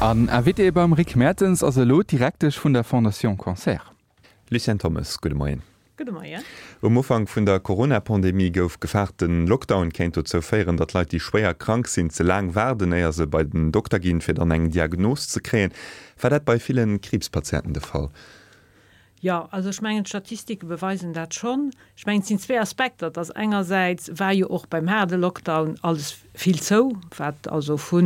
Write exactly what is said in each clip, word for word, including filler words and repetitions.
An Invité beim Rick Mertens ass elo d'Direktesch vun der Fondation Cancer. Lucienne Thommes, gudde Moien. Gudde Moien. Um Ufank vun der Corona-Pandemie gouf gefaart, den Lockdown kéint dozou féieren, datt Leit, déi schwéier krank sinn, ze laang waarden, éier se bei den Dokter ginn, fir dann eng Diagnos ze kréien. War dat bei ville Kriibspatienten de Fall? Jo, also ech mengen, d'Statistike beweisen dat schonn. Ech mengen, et sinn zwee Aspekter. Et ass engersäits war jo och beim haarde Lockdown alles vill zou, wat also vu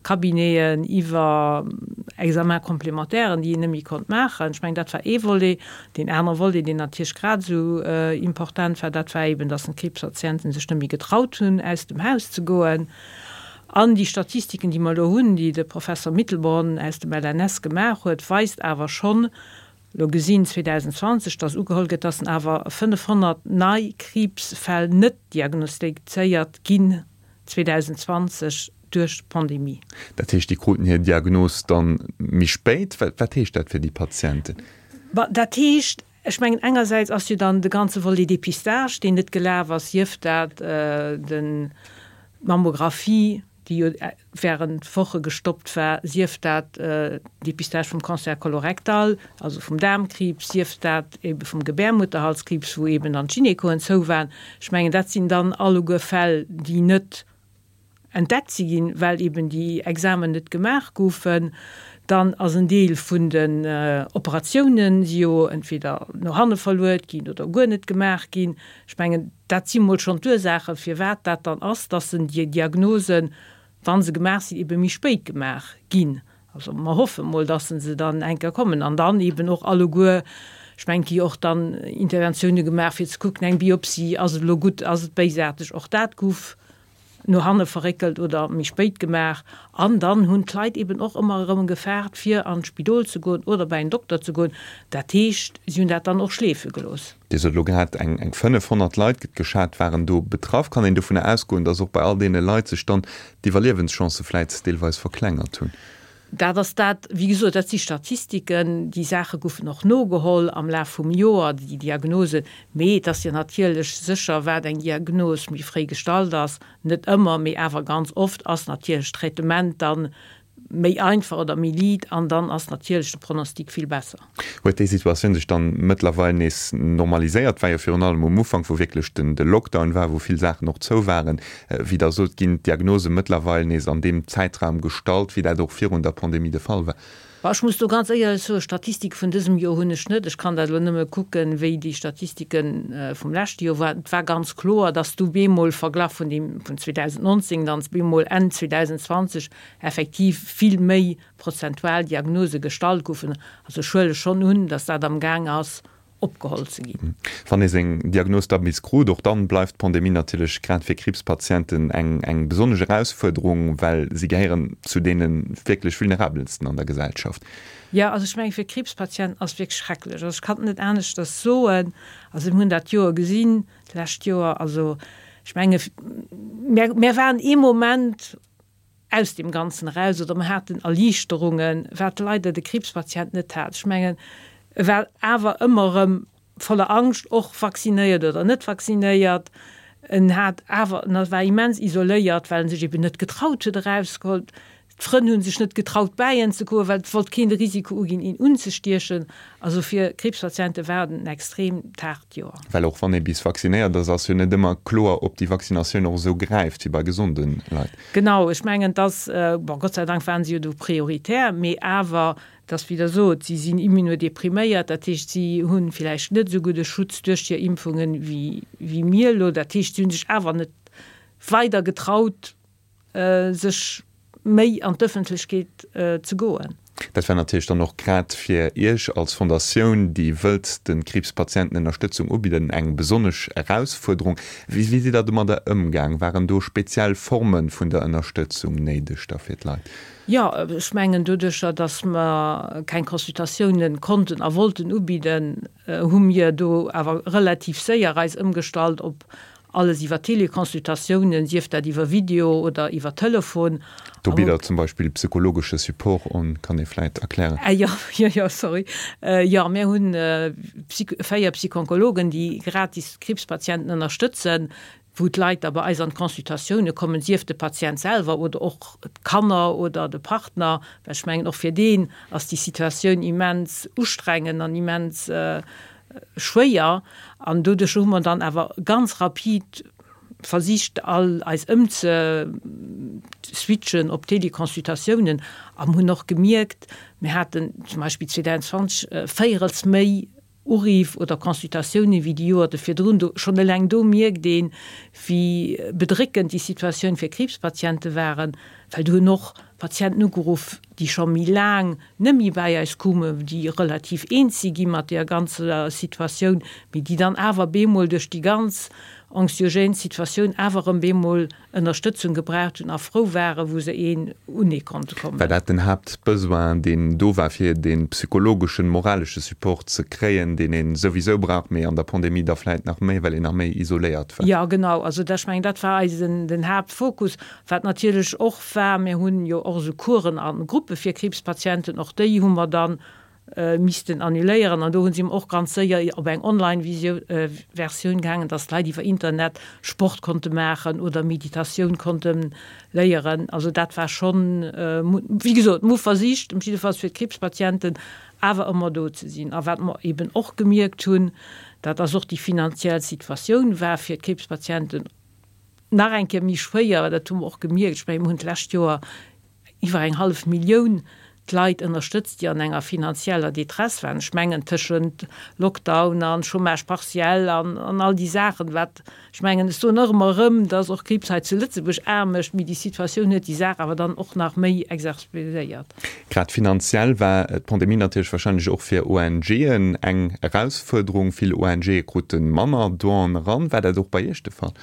Cabineten iwwer Examens complémentairen, déi een net méi konnt maachen. Ech mengen, dat war ee Volet. Deen anere Volet, deen natierlech grad esou important war, dat war eeben, dass d'Kriibspatienten sech net méi getraut hunn, aus dem Haus ze goen. An déi Statistiken, déi mer elo hunn, déi de Professor Mittelborn aus dem L N S gemaach huet, weist awer schonn, elo gesinn zweedausendzwanzeg, dass ugeholl gëtt, dass awer fënnefhonnert nei Kriibsfäll net diagnostizéiert ginn zweedausendzwanzeg duerch d'Pandemie. Dat heescht, déi kruten hir Diagnos dann méi spéit. Wat heescht dat fir déi Patienten? Dat heescht, ech mengen, engersäits ass jo dann de ganze Volet Dépistage, deen net gelaf ass, sief dat den d'Mammographie, déi jo während Woche gestoppt war, sief dat Dépistage vum Cancer colorectal, also vum Daarmkriibs, sief dat ebe vum Gebärmutterhalskriibs, wou eben dann d'Gynekoen zou waren. Ech mengen, dat sinn dann alleguer Fäll, déi net entdeckt si ginn, well eben déi Examen net gemaach goufen. Dann ass en Deel vun den Operatiounen si jo entweder no hanne verluet ginn oder guer net gemaach ginn. Ech mengen, dat si mol schonn d'Ursaachen, firwat dat dann ass, dass en déi Diagnosen, wa se gemaach sinn, ebe méi spéit gemaach ginn. Also mer hoffe mol, dass se dann eng Kéier kommen an dann eben och alleguer, ech mengen, et gi jo och dann Interventioune gemaach, fir ze kucken, eng Biopsie, ass et elo gutt, ass et béisaarteg, och dat gouf no hanne verréckelt oder méi spéit gemaach. An dann hunn d'Leit eben och ëmmer erëm gefaart, fir an d'Spidol ze goen oder bei en Dokter ze goen. Dat heescht, si hunn dat dann och schleefe gelooss. Dir sot elo grad, eng eng fënnefhonnert Leit, gëtt geschat, waren do betraff. Kann een dovunner ausgoen, datt och bei all deene Leit sech dann d'Iwwerliewenschancë vläit deelweis verklengert hunn? Dat ass dat, wéi gesot, dat si Statistiken. Déi Saache goufen och nogeholl am Laf vum Joer, déi Diagnosen. Mee et ass jo natierlech sécher, wat eng Diagnos méi fréi gestallt ass, net ëmmer, mee awer ganz oft, ass natierlech d'Traitement dann méi einfach oder méi liit an dann ass natierlech de Pronostic vill besser. Huet déi Situatioun sech dann mëttlerweil nees normaliséiert? War jo virun allem um Ufank, wou wierklech den de Lockdown war, wou vill Saachen och zou waren. Wéi Der sot, ginn d'Diagnose mëttlerweil nees an deem Zäitraum gestallt, wéi dat och virun der Pandemie de Fall war? Bah, ech muss do ganz éierlech soen, Statistike vun dësem Joer hunn ech net. Ech kann dat elo nëmme kucken, wéi déi Statistike vum leschte Joer waren. Et war ganz kloer, dass du bemol verglach vun deem vun zweedausendnonzéng dann bemol Enn zweedausendzwanzeg effektiv vill méi prozentual Diagnose gestallt goufen. Also ech huele schonn un, dass dat amgaang ass opgeholl ze ginn. Wann ee seng Diagnos da bis krut, och dann bleift d'Pandemie natierlech grad fir Kriibspatienten eng eng besonnesch Erausfuerderung, well si gehéieren zu deene wierklech vulnerabelsten an der Gesellschaft. Jo, also ech mengen, fir Kriibspatienten ass et wierklech schrecklech. Also ech kann et net aneschters soen. Also mir hunn dat Joer gesinn, d'lescht Joer, also ech menge mär mär waren ee Moment aus deem Ganzen eraus oder mer haten Erliichterungen, wat leider de Kriibspatient net hat. Ech mengen, e war awer ëmmer erëm voller Angscht, och vaccinéiert oder net vaccinéiert. En hat awer, en war immens isoléiert, well en sech eben net getraut huet erausgeholl. D'Frënn hu sech net getraut bäi en ze goen, well et wollt keen de Risiko uginn, een unzestiechen. Also fir Kriibspatiente war et en extrem haart Joer. Well och wann ee bis vaccinéiert ass, ass jo net ëmmer kloer, ob déi Vaccinatioun och esou gräift wéi bei gesonde Leit. Genau, ech mengen, dass, bon, Gott sei Dank waren se jo do prioritär, mee awer, dass, wéi Der sot, si sinn immunodepriméiert, dat heescht, si hu villäicht net esou gudde Schutz duerch hir Impfungen wéi mir elo. Dat heescht, si hu sech awer net weider getraut, sech méi an d'Ëffentlechkeet ze goen. Dat war natierlech dann och grad fir Iech als Fondatioun, déi wëllt de Kriibspatienten Ënnerstëtzung ubidden, eng besonnesch Erausfuerderung. Wéi sidd Der domadder ëmgaang? Waren do speziell Forme vun der Ënnerstëtzung néideg da fir d'Leit? Jo, ech mengen, doduercher, datt mer keng Consultatiounen konnten a wollten ubidden, hu mir do awer relativ séier eis ëmgestallt op alles iwwer Teleconsultatiounen, sief dat iwwer Video oder iwwer Telefon. Do bitt Der zum Beispill psychologesche Support un, kann ee vläit erklären. Jo, jo, jo, sorry. Jo, mir hunn véier Psychonkologen, déi gratis Kriibspatienten ënnerstëtzen. wou d'Leit da bei eis an d'Consultatioune kommen, sief de Patient selwer oder och d'Kanner oder de Partner, well ech mengen, och fir deen ass déi Situatioun immens ustrengend an immens schwéier. An doduerch hu mer dann awer ganz rapid versicht, all eis ëmzeswitchen op Teleconsultatiounen a hunn och gemierkt, mir haten zum Beispill zweetausendzwanzeg véierels méi Uriff oder Consultatioune wéi déi Joerte virdrun. Do, schonn eleng do mierkt een, wéi bedréckend déi Situatioun fir Kriibspatiente waren, well do hunn och Patienten ugeruff, déi scho méi laang net méi bäi eis koumen, déi relativ eens si gi mat deeër ganzer Situatioun, mee déi dann awer bemol duerch déi ganz anxiogène Situatioun awer erëm bemol Ënnerstëtzung gebraucht hunn a frou waren, wou se een unee konnte kommen. War dat den Haaptbesoin, deen do war, fir dee psychologeschen, moralesche Support ze kréien, deen ee souwisou brauch, mee an der Pandemie da vläit nach méi, well een nach méi isoléiert war? Jo, genau. Also ech mengen, dat war eisen, den Haaptfokus. Wat natierlech och war, mir hunn jo och esou Coursen a Gruppe fir Kriibspatienten, och déi hu mer dann missten annuléieren an do hunn si och ganz séier op eng Online-Versioun gaangen, dass d'Leit iwwer Internet Sport konnte maachen oder Meditatioun konnte léieren. Also dat war schonn, wéi gesot, mir hu versicht, ëm jiddefalls fir d'Kriibspatienten awer ëmmer do ze sinn. A wat mer eben och gemierkt hunn, dat ass och déi finanziell Situatioun war fir d'Kriibspatienten nach eng Kéier méi schwéier, dat hu mer och gemierkt. Ech mengen, mir hunn d'lescht Joer iwwer eng hallef Millioun d'Leit ënnerstëtzt, déi an enger finanzieller Détresse waren. Ech mengen, tëschent Lockdown an Chômage partiel an an all déi Saachen, wat, ech mengen, ech soen och ëmmer erëm, dass och Kriibs hei zu Lëtzebuerg aarm mécht, mee déi Situatioun huet déi Saach awer dann och nach méi exacerbiert. Grad finanziell war d'Pandemie natierlech wahrscheinlech och fir ONGen eng Erausfuerderung. Vill ONGe krute manner Donen eran. War dat och bei Iech de Fall?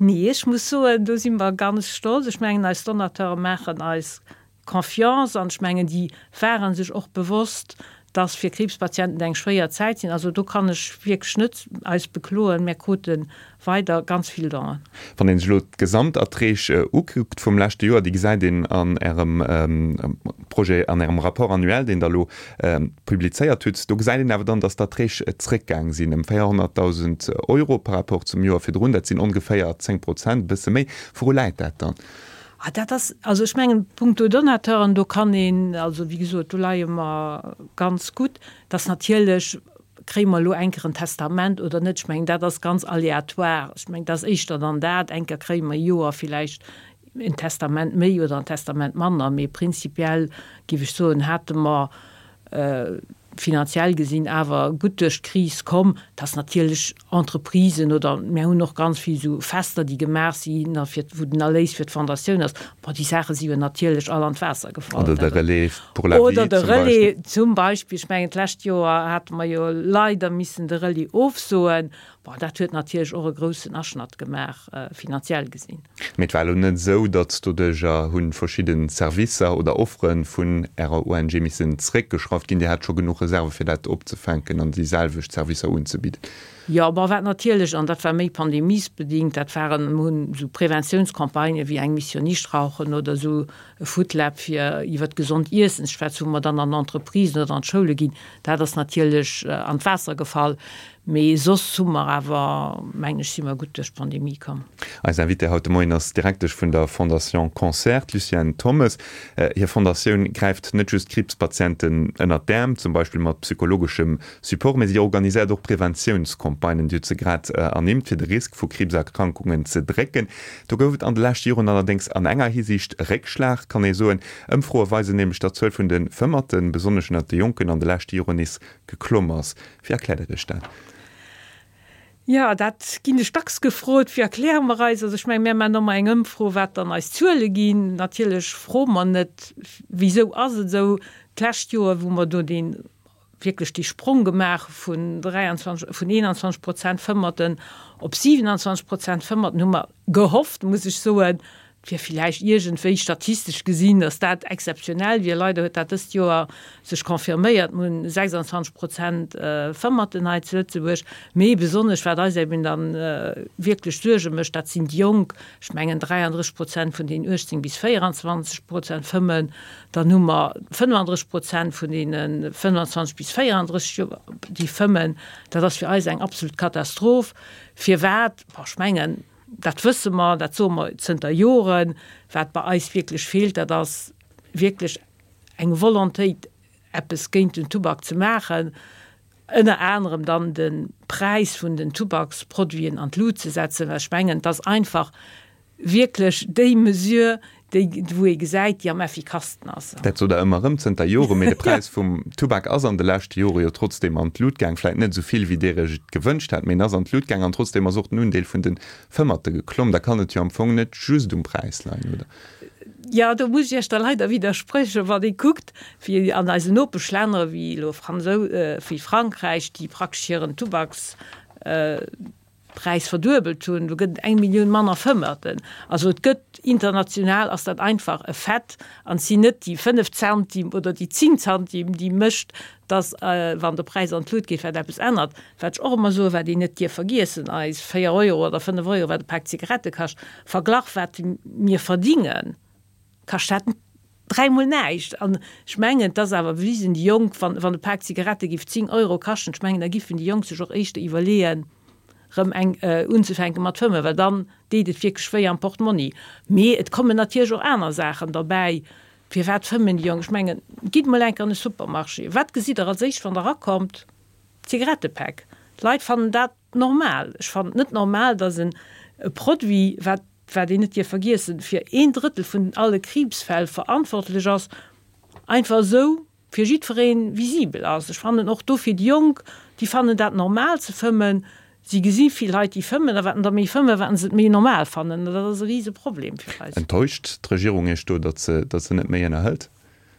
Nee, ech muss soen, do si mer ganz stolz. Ech mengen, eis Donateure maachen eis Confiance an ech mengen, déi ware sech och bewosst, dass fir Kriibspatienten eng schwéier Zäit sinn. Also do kann ech wierklech net eis bekloen. Mir krute weider ganz vill Donen. Wann een sech elo d'Gesamterträg ukuckt vum leschte Joer, déi gesäit een an Ärem Projet, an Ärem Rapport annuel, deen Der elo publizéiert hutt, do gesäit een awer dann, dass d'Erträg zréckgaang sinn ëm véierhonnertdausend Euro par rapport zum Joer virdrun. Dat sinn ongeféier zéng Prozent, e bësse méi. Wouru läit dat dann? Ah, dat ass, also ech mengen, punkto Donateuren, do kann een, also wéi gesot, do leie mer ganz gutt. Dass natierlech, kréie mer elo eng Kéier en Testament oder net, ech mengen, dat ass ganz aléatoire. Ech mengen, dat ass éischter dann dat, eng Kéier kréie mer e Joer villäicht en Testament méi oder en Testament manner, mee prinzipiell, géif ech soen, hate mer finanziell gesinn awer gutt duerch d'Kris komm, dass natierlech Entreprisen oder mir hunn och ganz vill esou Fester, déi gemaach sinn a fir wou den Erléis fir d'Fondatioun ass, bon, déi Saache si jo natierlech all an d'Waasser gefall. Oder de Relais pour la vie Oder de Relais zum Beispill. Ech mengen, d'lescht Joer hate mer jo leider missen de Relais ofsoen. Bon, dat huet natierlech och e groussen Aschnatt gemaach, finanziell gesinn. Mee et war elo net esou, datt doduerjer hu verschidde Servicer oder Offere vun Ärer O N G missen zréckgeschrauft ginn. Dir hat scho genuch Reserve fir dat opzefänken an déi selwecht Servicer unzebidden. Jo, bon, wat natierlech, an dat war méi pandemiesbedingt, dat waren, mir hunn esou Preventiounscampagnë wéi eng Mission Nichtrauchen oder esou e Foodlab fir iwwert gesond Iessen ze schwätzen, wou mer dann an Entreprisen oder an d'Schoule ginn, dat ass natierlech an d'Waasser gefall. Mee soss hu mer awer, mengen ech, si mer gutt duerch d'Pandemie komm. Eis Invitée haut de Moien ass d'Direktesch vun der Fondation Cancer, d'Lucienne Thommes. Hir Fondatioun gräift net just Kriibspatienten ënnert d'Äerm, zum Beispill mat psychologeschem Support, mee si organiséiert och Preventiounscampagnen, Dir hutt se grad ernimmt, fir de Risk vu Kriibserkrankungen ze drécken. Do gouf et an de leschte Joren allerdéngs an enger Hisiicht e Réckschlag, kann ee soen. Ëmfroe weisen nämlech, datt d'Zuel vun de Fëmmerten, besonnesch ënnert de Jonken, an de leschte Joren nees geklomm ass. Wéi erkläert Der Iech dat? Jo, dat ginn ech dacks gefrot, Wéi erkläre mer eis? Also ech mengen, mir maachen ëmmer eng Ëmfro, wat dann eis Zuele ginn. Natierlech froe mer net, Wisou ass et esou? D'lescht Joer, wou mer do dee wierklech dee Sprong gemaach hu vun dräianzwanzeg, vun eenanzwanzeg Prozent Fëmmerten op siwenanzwanzeg Prozent Fëmmerten, hu mer gehofft, muss ech soen, Et wier villäicht iergendwéi statistesch gesinn, datt dat exzeptionell wier. Leider huet dat dëst Joer sech confirméiert. Mir hunn sechsandzwanzeg Prozent Fëmmerten hei zu Lëtzebuerg. Mee besonnesch, wat eis eben da wierklech Suerge mécht, dat sinn déi Jonk. Ech mengen dräiandrësseg Prozent vun deenen uechtzéng bis véieranzwanzeg Prozent fëmmen. Dann hu mer fënnefandrësseg Prozent vun deene fënnfanzwanzeg bis véierandrësseg Joer, déi fëmmen. Dat ass fir eis eng absolut Katastroph. Firwat? Bon, ech mengen, Dat wësse mer, dat soe mer zënter Joren. Wat bei eis wierklech feelt, dat ass wierklech eng Volontéit, eppes géint den Tubak ze maachen, ënner anerem dann de Präis vun den Tubaksproduiten an d'Lut ze setzen, well ech mengen, et ass einfach wierklech déi Mesure, déi, wou ee gesäit, déi am effikassten ass. Dat sot Der ëmmer erëm zënter Joren, mee de Präis vum Tubak ass an de leschte Jore jo trotzdeem an d'Lut gaang. Vläicht net esou vill, wéi Dir Iech et gewënscht hat, mee en ass an d'Lut gaang an trotzdeem ass och den Undeel vun de Fëmmerte geklomm. Da kann et jo am Fong net just um Präis leien, oder? Jo, do muss ech Iech da leider widdersprechen. Wann ee kuckt, wéi an eisen Nopeschlänner, wéi elo wéi Frankräich, déi praktesch hiren Tubakspräis verduebelt hunn, do gëtt et eng Millioun manner Fëmmerten. Also et gëtt, international ass dat einfach e Fait an et sinn net déi fënnef Zantim oder déi zéng Zantim, déi mécht, dass, wann de Präis an d'Lut geet, wat eppes ännert. Wat ech och ëmmer soen, wat een net dierf vergiessen, eis véier Euro oder fënnef Euro, wat e Pak Zigarette kascht, verglach wat mir verdingen, kascht dat dräimol näischt. An ech mengen, et ass awer bewisen, déi Jonk, wann, wann e Pak Zigarette giff zéng Euro kaschten, ech mengen, da giffen déi Jonk sech och éischter iwwerleeën, rëm eng unzefänke mat fëmmen, well dann deet et wierklech wéi am Portmonni. Mee et kommen natierlech och aner Saachen derbäi. Firwat fëmmen déi Jonk? Ech mengen, gitt mol eng Kéier an e Supermarché, wat gesitt Der als éischt, wann Der erakommt? D'Zigarettepäck. D'Leit fannen dat normal. Ech fannen et net normal, dass en e Produit, wat, wat een net dierf vergiessen, fir een Drëttel vun alle Kriibsfäll verantwortlech ass, einfach esou fir jiddweree visibel ass. Ech fannen och dofir déi Jonk, déi fannen dat normal ze fëmmen. Si gesi vill Leit, déi fëmmen, a wat der méi fëmmen, wat se et méi normal fannen. An dat ass e Riseproblem fir eis. Enttäuscht d'Regierung Iech do, datt se, datt se net méi ënnerhëlt?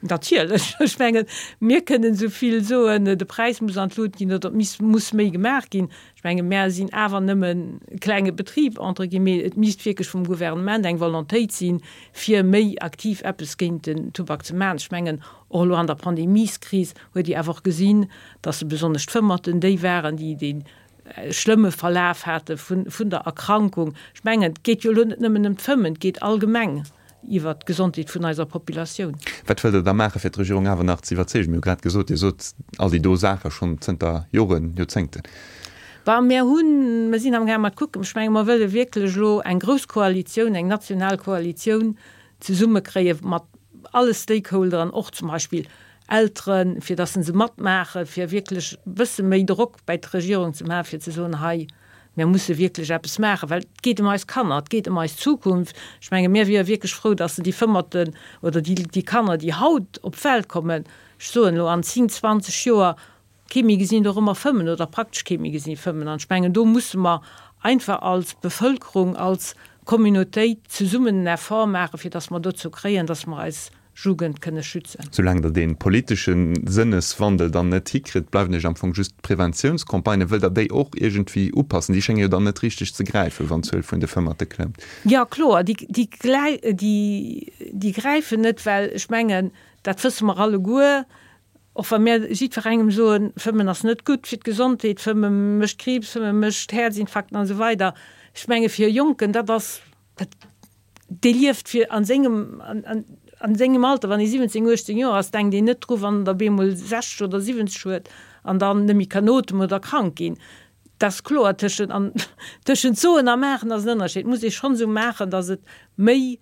Natierlech. Ech mengen, mir kënnen esou vill soen, de Präis muss an d'Lut ginn oder et misst, muss méi gemaach ginn. Ech menge mär sinn awer nëmmen e klenge Betrib, entre guillemets. Et misst wierklech vum Gouvernement eng Volontéit sinn, fir méi aktiv eppes géint den Tubak ze maachen. Ech mengen, och elo an der Pandemieskris huet Dir awer och gesinn, dass besonnesch d'Fëmmerten déi waren, déi dee schlëmme Verlaf hate vun der Erkrankung. Ech mengen, et geet jo elo net nëmmen ëm d'Fëmmen, et geet allgemeng iwwert d'Gesondheet vun eiser Populatioun. Wat wëllt Der da maachen, fir d'Regierung awer nach ze iwwerzeegen? Mir hu grad gesot, Dir sot all déi do Saache schonn zënter Joren, Joerzéngten. Bon, mir hunn, mir sinn amgaang mat kucken. Ech menge mer wëlle wierklech elo eng grouss Koalitioun, eng national Koalitioun zesummekréie mat alle Stakeholderen, och zum Beispill Elteren, fir datt se matmaachen, fir wierklech e bësse méi Drock bäi d'Regierung ze maachen, fir ze soen, hei, mir musse wierklech eppes maachen, well et geet ëm eis Kanner, et geet ëm eis Zukunft. Ech menge mir wiere wierklech frou, datt se déi Fëmmerten oder déi, déi Kanner, déi haut op d'Welt kommen, ech soen elo an zéng, zwanzeg Joer, kee méi gesinn dorëmmer fëmmen oder praktesch kee méi gesinn fëmmen. An ech mengen, do musse mer einfach als Bevëlkerung, als Communautéit zesummen en Effort maachen, fir datt mer dozou kréien, datt mer eis Jugend kënne schützen. Soulaang Der dee politesche Sënneswandel dann net hikritt, bleiwen Iech am Fong just d'Preventiounscampagnen. Wëllt Der déi och iergendwéi upassen? Déi schénge jo dann net richteg ze gräifen, wann d'Zuel vun de Fëmmerte klëmmt. Jo, kloer, déi gräifen net, well ech mengen, dat wësse mer alleguer, Och wa mir jiddwerengem soen, Fëmmen ass net gutt fir d'Gesondheet, Fëmme mécht Kriibs, Fëmme mécht Häerzinfarkten an esou weider, ech menge fir e Jonken, dat ass, dat, dee lieft fir a sengem, an sengem Alter, wann ee siwwenzéng, uechtzéng Joer ass, denkt een net dru wann en der bemol sechzeg oder siwwenzeg huet an dann net méi kann ootmen oder krank ginn. Dat ass kloer, tëschent an, tëschent soen a maachen ass en Ënnerscheed. Et muss ee schonn esou maachen, datt et méi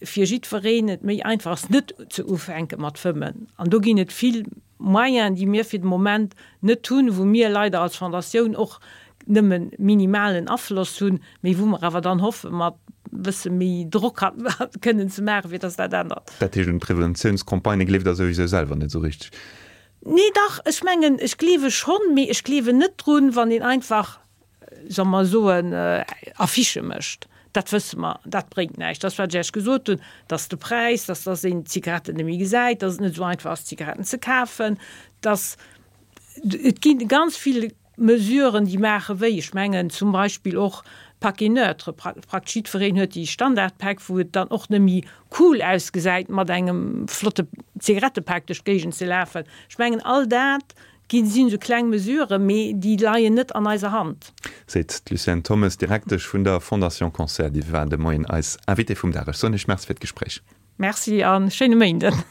fir jiddwereen et méi einfach ass, net ze ufänke mat fëmmen. An do ginn et vill Moyenen, déi mir fir de Moment net hunn, wou mir leider als Fondatioun och nëmme minimalen Afloss hunn, mee wou mer awer dann hoffe mat e bësse méi Drock kënnen ze maachen, fir dass dat ännert. Dat heescht, un d'Preventiounscampagnë gleeft Der souwisou selwer net esou richteg? Nee, dach, ech mengen, ech gleewe schonn, mee ech gleewen net drun, wann een einfach solle mer soen, Affichë mécht, dat wësse mer, dat bréngt näischt. Dat, wat ech Iech gesot hunn, dass de Präis, dass dass een d'Zigaretten net méi gesäit, dass et net esou einfach ass, Zigaretten ze kafen, dass et gi ganz vill Mesuren, déi maache wéi. Ech mengen zum Beispill och Paquet neutre, praktesch jiddwereen huet déi Standardpäck, wou et dann och net méi cool ausgesäit, mat engem flotte Zigarettepak duerch d'Géigend ze lafen. Ech mengen, all dat Ginn sinn esou kleng Mesuren, mee déi leien net an eiser Hand. Seet d'Lucienne Thommes, Direktesch vun der Fondation Cancer. Déi war de Moien eis Invitée vum Dag. Ech soen Iech Merci fir d'Gespréich. Merci a schéine Méinden.